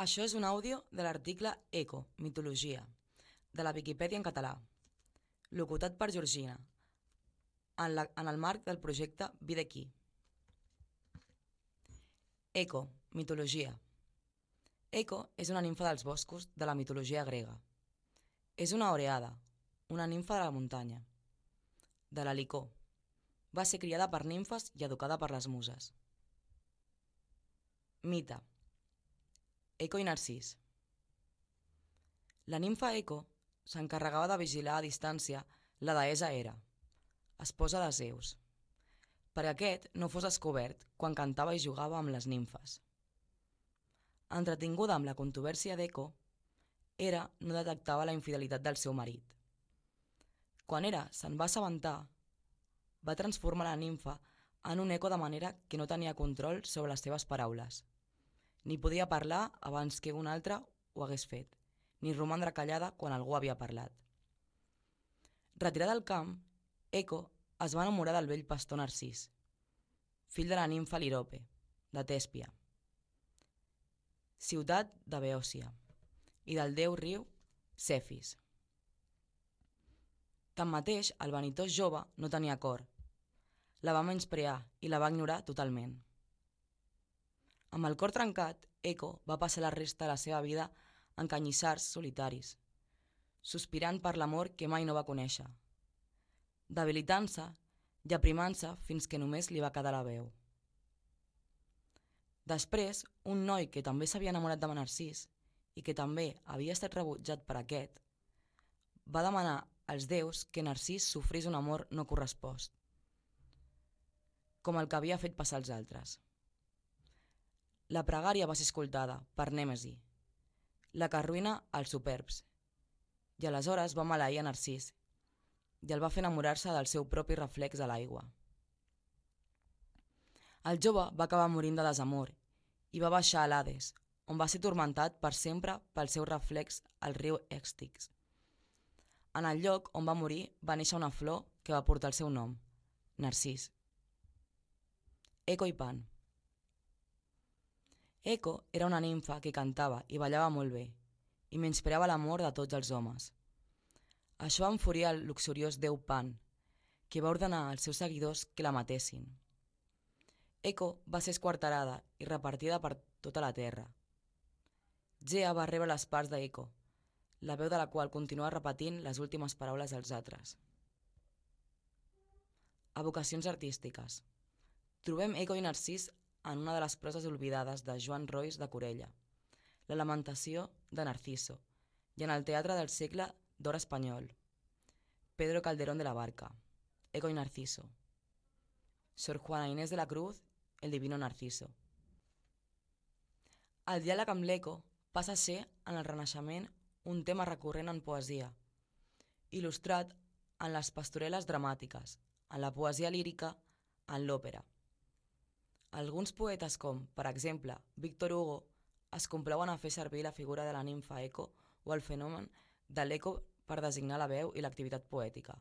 Això és un àudio de l'article Eco, mitologia, de la Viquipèdia en català, locutat per Georgina, en el marc del projecte Vida aquí. Eco, mitologia. Eco és una nimfa dels boscos de la mitologia grega. És una oreada, una nimfa de la muntanya. De la licor. Va ser criada per nimfes i educada per les muses. Mite. Eco i Narcís. La nimfa Eco s'encarregava de vigilar a distància la deessa Hera, esposa de Zeus, perquè aquest no fos descobert quan cantava i jugava amb les nimfes. Entretinguda amb la controvèrsia d'Eco, Hera no detectava la infidelitat del seu marit. Quan Hera se'n va assabentar, va transformar la nimfa en un Eco de manera que no tenia control sobre les seves paraules. Ni podia parlar abans que un altre ho hagués fet, ni romandre callada quan algú havia parlat. Retirada al camp, Eco es va enamorar del vell pastor Narcís, fill de la nimfa Lirope, de Tèspia, ciutat de Beòcia, i del déu riu Cefis. Tanmateix, el vanitós jove no tenia cor. La va menysprear i la va ignorar totalment. Amb el cor trencat, Eco va passar la resta de la seva vida en canyissars solitaris, sospirant per l'amor que mai no va conèixer, debilitant-se i aprimant-se fins que només li va quedar la veu. Després, un noi que també s'havia enamorat de Narcís i que també havia estat rebutjat per aquest, va demanar als déus que Narcís sofrís un amor no correspost, com el que havia fet passar als altres. La pregària va ser escoltada per Nèmesi, la que arruïna els superbs, i aleshores va maleir a Narcís i el va fer enamorar-se del seu propi reflex a l'aigua. El jove va acabar morint de desamor i va baixar a l'Hades, on va ser tormentat per sempre pel seu reflex al riu Èxtix. En el lloc on va morir va néixer una flor que va portar el seu nom, Narcís. Eco i Pan. Eco era una nimfa que cantava i ballava molt bé i menyspreava l'amor de tots els homes. Això va enfuriar el luxuriós déu Pan, que va ordenar als seus seguidors que la matessin. Eco va ser esquarterada i repartida per tota la terra. Gea va rebre les parts d'Eco, la veu de la qual continua repetint les últimes paraules dels altres. Evocacions artístiques. Trobem Eco i Narcís en una de les proses oblidades de Joan Rois de Corella, La lamentació de Narciso, i en el teatre del segle d'or espanyol, Pedro Calderón de la Barca, Eco y Narciso, Sor Juana Inés de la Cruz, El divino Narciso. El diàleg amb l'Eco passa a ser, en el Renaixement, un tema recurrent en poesia, il·lustrat en les pastorel·les dramàtiques, en la poesia lírica, en l'òpera. Alguns poetes com, per exemple, Víctor Hugo, es complauen a fer servir la figura de la nimfa Eco o el fenomen de l'eco per designar la veu i l'activitat poètica.